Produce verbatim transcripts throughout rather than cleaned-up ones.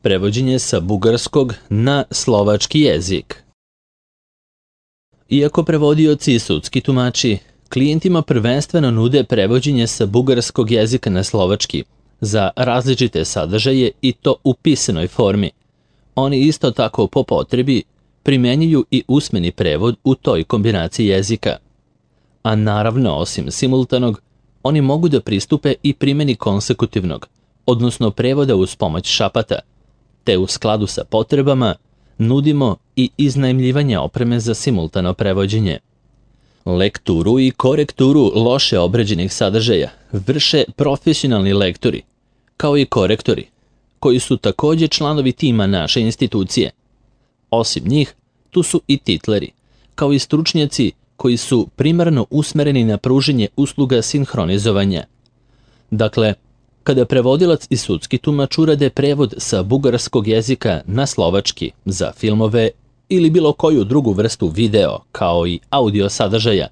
Prevođenje sa bugarskog na slovački jezik. Iako prevodioci i sudski tumači klijentima prvenstveno nude prevođenje sa bugarskog jezika na slovački za različite sadržaje i to u pisanoj formi, oni isto tako po potrebi primenjuju i usmeni prevod u toj kombinaciji jezika. A naravno, osim simultanog, oni mogu da pristupe i primjeni konsekutivnog, odnosno prevoda uz pomoć šapata, te u skladu sa potrebama nudimo i iznajmljivanje opreme za simultano prevođenje. Lekturu i korekturu loše obrađenih sadržaja vrše profesionalni lektori, kao i korektori, koji su također članovi tima naše institucije. Osim njih, tu su i titleri, kao i stručnjaci koji su primarno usmereni na pruženje usluga sinhronizovanja. Dakle, kada prevodilac i sudski tumač urade prevod sa bugarskog jezika na slovački za filmove ili bilo koju drugu vrstu video, kao i audio sadržaja,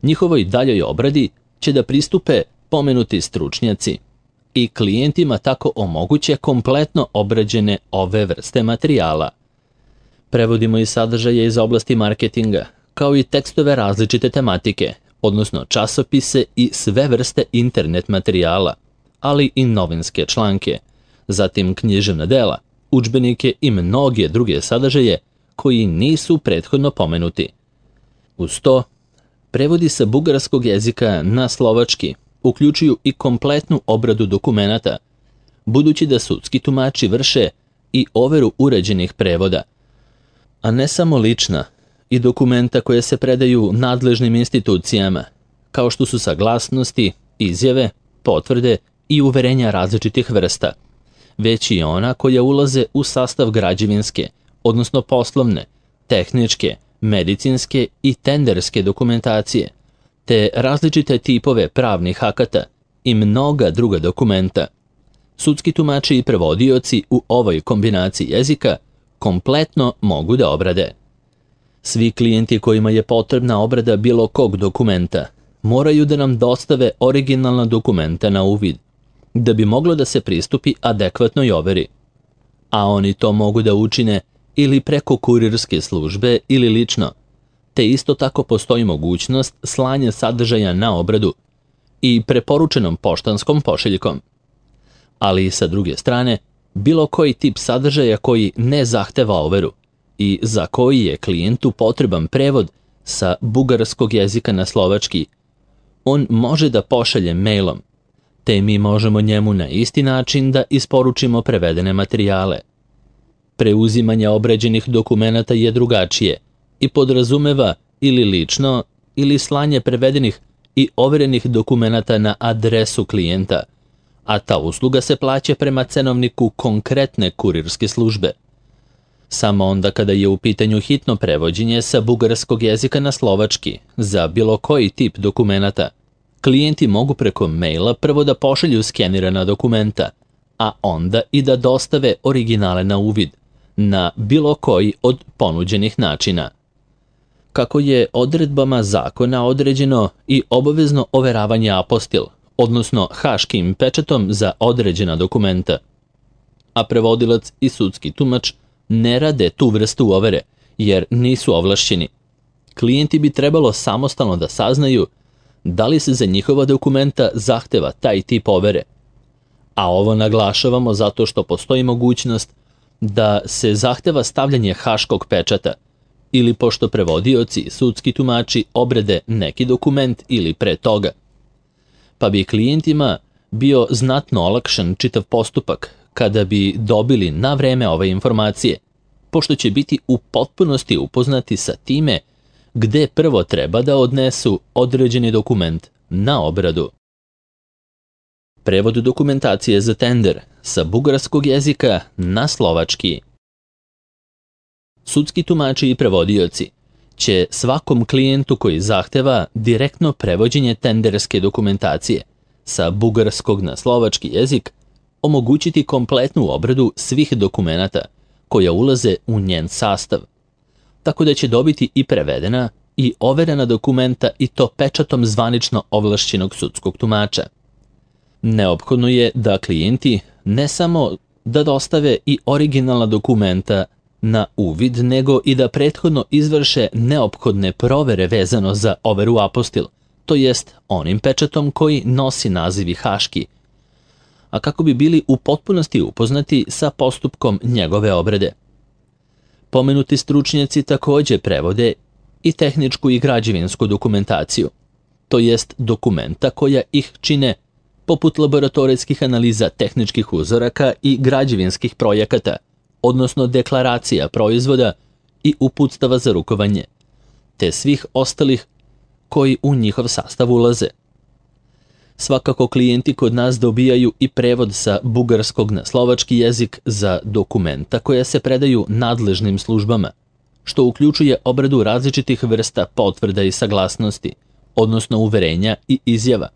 njihovoj daljoj obradi će da pristupe pomenuti stručnjaci i klijentima tako omoguće kompletno obrađene ove vrste materijala. Prevodimo i sadržaje iz oblasti marketinga, kao i tekstove različite tematike, odnosno časopise i sve vrste internet materijala, ali i novinske članke, zatim književna dela, udžbenike i mnoge druge sadržaje koji nisu prethodno pomenuti. Uz to, prevodi sa bugarskog jezika na slovački uključuju i kompletnu obradu dokumenata, budući da sudski tumači vrše i overu uređenih prevoda, a ne samo lična, i dokumenta koje se predaju nadležnim institucijama, kao što su saglasnosti, izjave, potvrde i uverenja različitih vrsta, već i ona koja ulaze u sastav građevinske, odnosno poslovne, tehničke, medicinske i tenderske dokumentacije, te različite tipove pravnih akata i mnoga druga dokumenta. Sudski tumači i prevodioci u ovoj kombinaciji jezika kompletno mogu da obrade. Svi klijenti kojima je potrebna obrada bilo kog dokumenta moraju da nam dostave originalna dokumenta na uvid, da bi moglo da se pristupi adekvatnoj overi. A oni to mogu da učine ili preko kurirske službe ili lično, te isto tako postoji mogućnost slanja sadržaja na obradu i preporučenom poštanskom pošiljkom. Ali sa druge strane, bilo koji tip sadržaja koji ne zahteva overu i za koji je klijentu potreban prevod sa bugarskog jezika na slovački, on može da pošalje mailom, te mi možemo njemu na isti način da isporučimo prevedene materijale. Preuzimanje obrađenih dokumenata je drugačije i podrazumeva ili lično ili slanje prevedenih i overenih dokumenata na adresu klijenta, a ta usluga se plaća prema cenovniku konkretne kurirske službe. Samo onda kada je u pitanju hitno prevođenje sa bugarskog jezika na slovački za bilo koji tip dokumenata, klijenti mogu preko maila prvo da pošalju skenirana dokumenta, a onda i da dostave originale na uvid, na bilo koji od ponuđenih načina. Kako je odredbama zakona određeno i obavezno overavanje apostil, odnosno haškim pečatom za određena dokumenta, a prevodilac i sudski tumač ne rade tu vrstu overe, jer nisu ovlašćeni. Klijenti bi trebalo samostalno da saznaju da li se za njihova dokumenta zahteva taj tip overe. A ovo naglašavamo zato što postoji mogućnost da se zahteva stavljanje haškog pečata, ili pošto prevodioci i sudski tumači obrede neki dokument ili pre toga. Pa bi klijentima bio znatno olakšan čitav postupak kada bi dobili na vreme ove informacije, pošto će biti u potpunosti upoznati sa time gde prvo treba da odnesu određeni dokument na obradu. Prevod dokumentacije za tender sa bugarskog jezika na slovački. Sudski tumači i prevodioci će svakom klijentu koji zahteva direktno prevođenje tenderske dokumentacije sa bugarskog na slovački jezik omogućiti kompletnu obradu svih dokumenata koja ulaze u njen sastav, tako da će dobiti i prevedena i overena dokumenta i to pečatom zvanično ovlašćenog sudskog tumača. Neophodno je da klijenti ne samo da dostave i originalna dokumenta na uvid, nego i da prethodno izvrše neophodne provere vezano za overu apostil, to jest onim pečatom koji nosi naziv haški, a kako bi bili u potpunosti upoznati sa postupkom njegove obrade. Pomenuti stručnjaci takođe prevode i tehničku i građevinsku dokumentaciju, to jest dokumenta koja ih čine, poput laboratorijskih analiza tehničkih uzoraka i građevinskih projekata, odnosno deklaracija proizvoda i uputstava za rukovanje, te svih ostalih koji u njihov sastav ulaze. Svakako klijenti kod nas dobijaju i prevod sa bugarskog na slovački jezik za dokumenta koja se predaju nadležnim službama, što uključuje obradu različitih vrsta potvrda i saglasnosti, odnosno uverenja i izjava.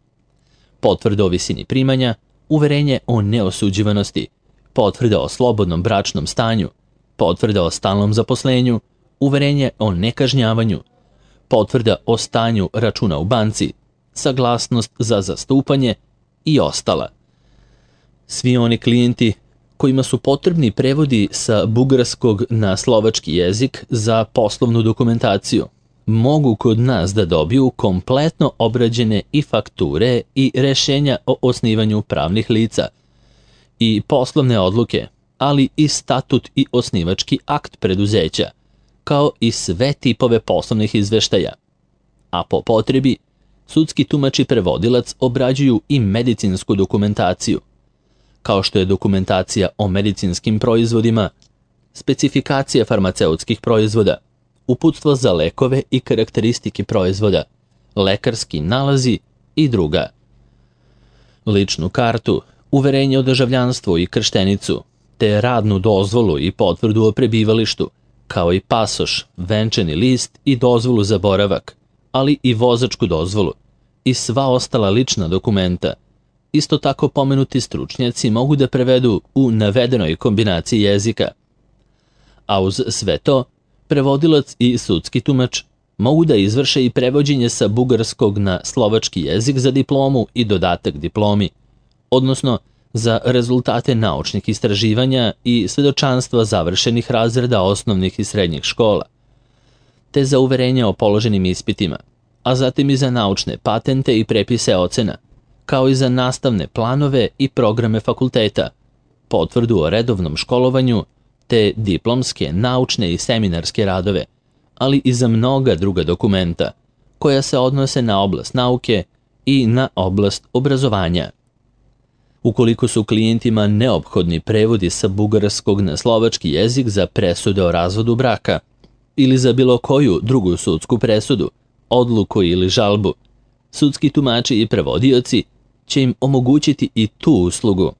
Potvrda o visini primanja, uverenje o neosuđivanosti, potvrda o slobodnom bračnom stanju, potvrda o stalnom zaposlenju, uverenje o nekažnjavanju, potvrda o stanju računa u banci, saglasnost za zastupanje i ostala. Svi oni klijenti kojima su potrebni prevodi sa bugarskog na slovački jezik za poslovnu dokumentaciju mogu kod nas da dobiju kompletno obrađene i fakture i rešenja o osnivanju pravnih lica i poslovne odluke, ali i statut i osnivački akt preduzeća, kao i sve tipove poslovnih izveštaja. A po potrebi, sudski tumač i prevodilac obrađuju i medicinsku dokumentaciju, kao što je dokumentacija o medicinskim proizvodima, specifikacija farmaceutskih proizvoda, uputstvo za lekove i karakteristike proizvoda, lekarski nalazi i druga. Ličnu kartu, uverenje o državljanstvu i krštenicu, te radnu dozvolu i potvrdu o prebivalištu, kao i pasoš, venčani list i dozvolu za boravak, ali i vozačku dozvolu i sva ostala lična dokumenta. Isto tako pomenuti stručnjaci mogu da prevedu u navedenoj kombinaciji jezika. A uz sve to, prevodilac i sudski tumač mogu da izvrše i prevođenje sa bugarskog na slovački jezik za diplomu i dodatak diplomi, odnosno za rezultate naučnih istraživanja i svedočanstva završenih razreda osnovnih i srednjih škola, te za uverenje o položenim ispitima, a zatim i za naučne patente i prepise ocena, kao i za nastavne planove i programe fakulteta, potvrdu o redovnom školovanju, te diplomske, naučne i seminarske radove, ali i za mnoga druga dokumenta, koja se odnose na oblast nauke i na oblast obrazovanja. Ukoliko su klijentima neophodni prevodi sa bugarskog na slovački jezik za presude o razvodu braka ili za bilo koju drugu sudsku presudu, odluku ili žalbu, sudski tumači i prevodioci će im omogućiti i tu uslugu,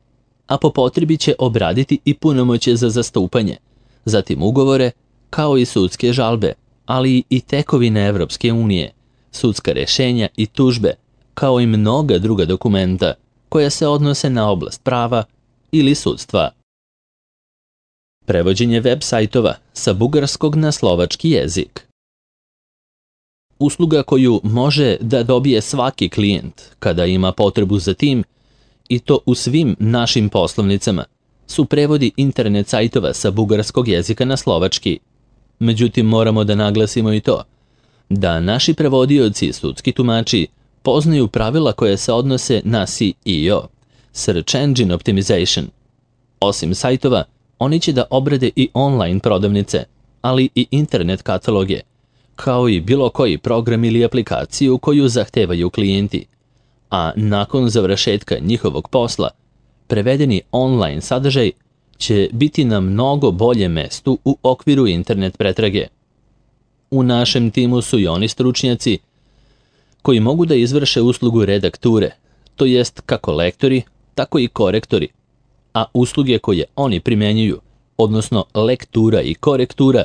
a po potrebi će obraditi i punomoćje za zastupanje, zatim ugovore, kao i sudske žalbe, ali i tekovine Evropske unije, sudska rešenja i tužbe, kao i mnoga druga dokumenta koja se odnose na oblast prava ili sudstva. Prevođenje web sajtova sa bugarskog na slovački jezik. Usluga koju može da dobije svaki klijent kada ima potrebu za tim, i to u svim našim poslovnicama, su prevodi internet sajtova sa bugarskog jezika na slovački. Međutim, moramo da naglasimo i to, da naši prevodioci i sudski tumači poznaju pravila koje se odnose na S E O, Search Engine Optimization. Osim sajtova, oni će da obrade i online prodavnice, ali i internet kataloge, kao i bilo koji program ili aplikaciju koju zahtevaju klijenti, a nakon završetka njihovog posla, prevedeni online sadržaj će biti na mnogo boljem mestu u okviru internet pretrage. U našem timu su i oni stručnjaci koji mogu da izvrše uslugu redakture, to jest kako lektori, tako i korektori, a usluge koje oni primenjuju, odnosno lektura i korektura,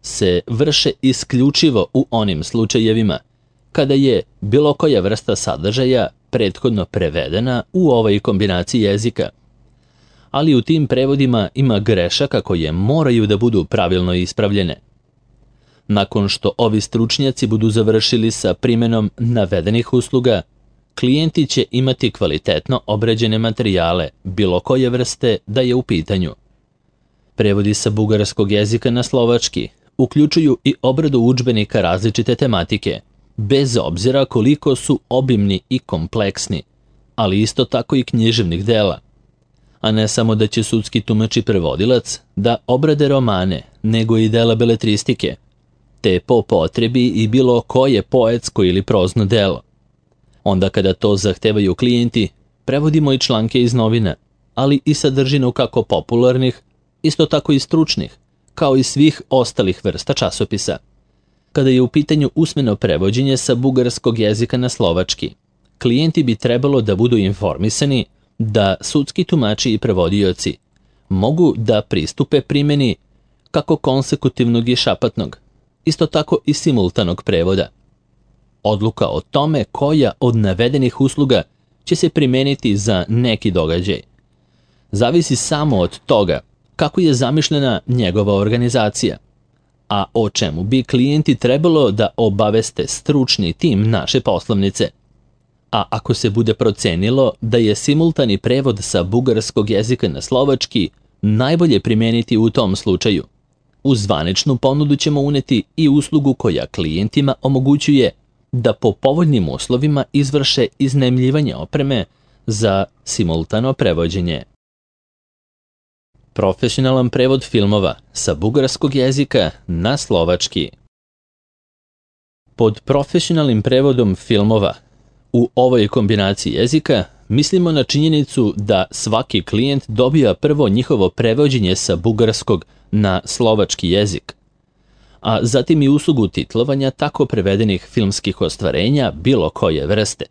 se vrše isključivo u onim slučajevima kada je bilo koja vrsta sadržaja prethodno prevedena u ovoj kombinaciji jezika. Ali u tim prevodima ima grešaka koje moraju da budu pravilno ispravljene. Nakon što ovi stručnjaci budu završili sa primenom navedenih usluga, klijenti će imati kvalitetno obrađene materijale, bilo koje vrste da je u pitanju. Prevodi sa bugarskog jezika na slovački uključuju i obradu udžbenika različite tematike, bez obzira koliko su obimni i kompleksni, ali isto tako i književnih dela. A ne samo da će sudski tumač i prevodilac da obrade romane, nego i dela beletristike, te po potrebi i bilo koje poetsko ili prozno delo. Onda kada to zahtevaju klijenti, prevodimo i članke iz novina, ali i sadržinu kako popularnih, isto tako i stručnih, kao i svih ostalih vrsta časopisa. Kada je u pitanju usmeno prevođenje sa bugarskog jezika na slovački, klijenti bi trebalo da budu informisani da sudski tumači i prevodioci mogu da pristupe primjeni kako konsekutivnog i šapatnog, isto tako i simultanog prevoda. Odluka o tome koja od navedenih usluga će se primeniti za neki događaj zavisi samo od toga kako je zamišljena njegova organizacija, a o čemu bi klijenti trebalo da obaveste stručni tim naše poslovnice. A ako se bude procenilo da je simultani prevod sa bugarskog jezika na slovački najbolje primeniti u tom slučaju, u zvaničnu ponudu ćemo uneti i uslugu koja klijentima omogućuje da po povoljnim uslovima izvrše iznajmljivanje opreme za simultano prevođenje. Profesionalan prevod filmova sa bugarskog jezika na slovački. Pod profesionalnim prevodom filmova u ovoj kombinaciji jezika mislimo na činjenicu da svaki klijent dobija prvo njihovo prevođenje sa bugarskog na slovački jezik, a zatim i uslugu titlovanja tako prevedenih filmskih ostvarenja bilo koje vrste.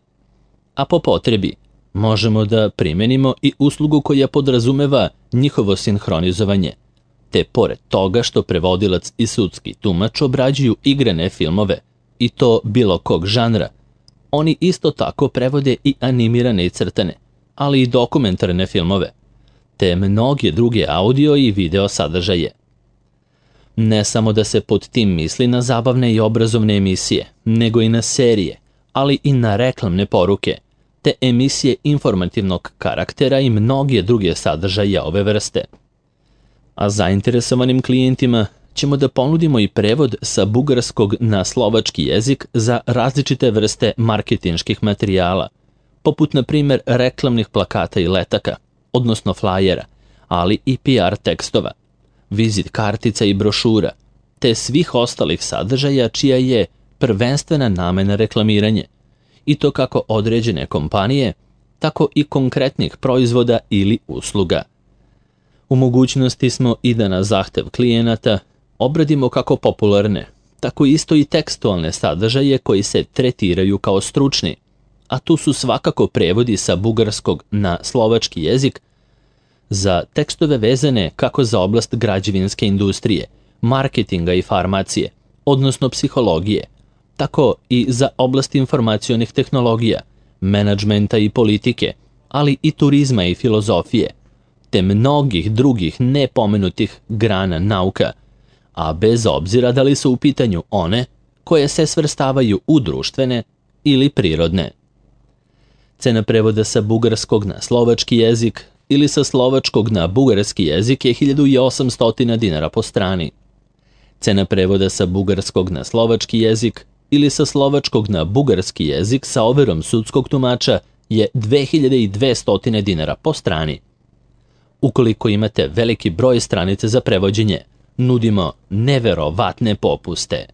A po potrebi možemo da primenimo i uslugu koja podrazumeva njihovo sinhronizovanje, te pored toga što prevodilac i sudski tumač obrađuju igrane filmove, i to bilo kog žanra, oni isto tako prevode i animirane i crtane, ali i dokumentarne filmove, te mnoge druge audio i video sadržaje. Ne samo da se pod tim misli na zabavne i obrazovne emisije, nego i na serije, ali i na reklamne poruke, te emisije informativnog karaktera i mnoge druge sadržaje ove vrste. A zainteresovanim klijentima ćemo da ponudimo i prevod sa bugarskog na slovački jezik za različite vrste marketinških materijala, poput na primjer reklamnih plakata i letaka, odnosno flajera, ali i P R tekstova, vizit kartica i brošura, te svih ostalih sadržaja čija je prvenstvena namena reklamiranje, i to kako određene kompanije, tako i konkretnih proizvoda ili usluga. U mogućnosti smo i da na zahtev klijenata obradimo kako popularne, tako isto i tekstualne sadržaje koji se tretiraju kao stručni, a tu su svakako prevodi sa bugarskog na slovački jezik za tekstove vezane kako za oblast građevinske industrije, marketinga i farmacije, odnosno psihologije, tako i za oblast informacionih tehnologija, menadžmenta i politike, ali i turizma i filozofije, te mnogih drugih nepomenutih grana nauka, a bez obzira da li su u pitanju one koje se svrstavaju u društvene ili prirodne. Cena prevoda sa bugarskog na slovački jezik ili sa slovačkog na bugarski jezik je hiljadu osamsto dinara po strani. Cena prevoda sa bugarskog na slovački jezik ili sa slovačkog na bugarski jezik sa overom sudskog tumača je dve hiljade dvesta dinara po strani. Ukoliko imate veliki broj stranica za prevođenje, nudimo neverovatne popuste.